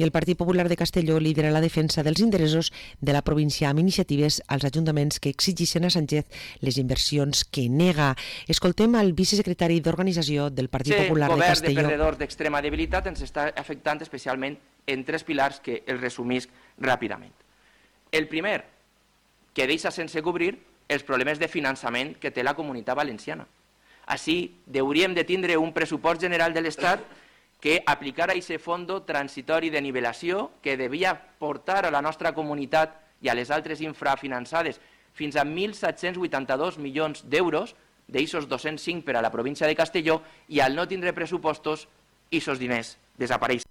I el Partit Popular de Castelló lidera la defensa dels interessos de la província amb iniciatives als ajuntaments que exigeixen a Sánchez les inversions que nega. Escoltem al vicesecretari d'Organització del Partit Popular de Castelló. El govern de perdedors d'extrema debilitat ens està afectant especialment en 3 pilars que els resumisc ràpidament. El primer, que deixa sense cobrir els problemes de finançament que té la Comunitat Valenciana. Així, hauríem de tindre un pressupost general de l'Estat que aplicara aquest fons transitori de nivelació que devia portar a la nostra comunitat i a les altres infrafinançades fins a 1.782 milions d'euros, d'aixos 205 per a la província de Castelló, i al no tindre pressupostos, aquests diners desapareixen.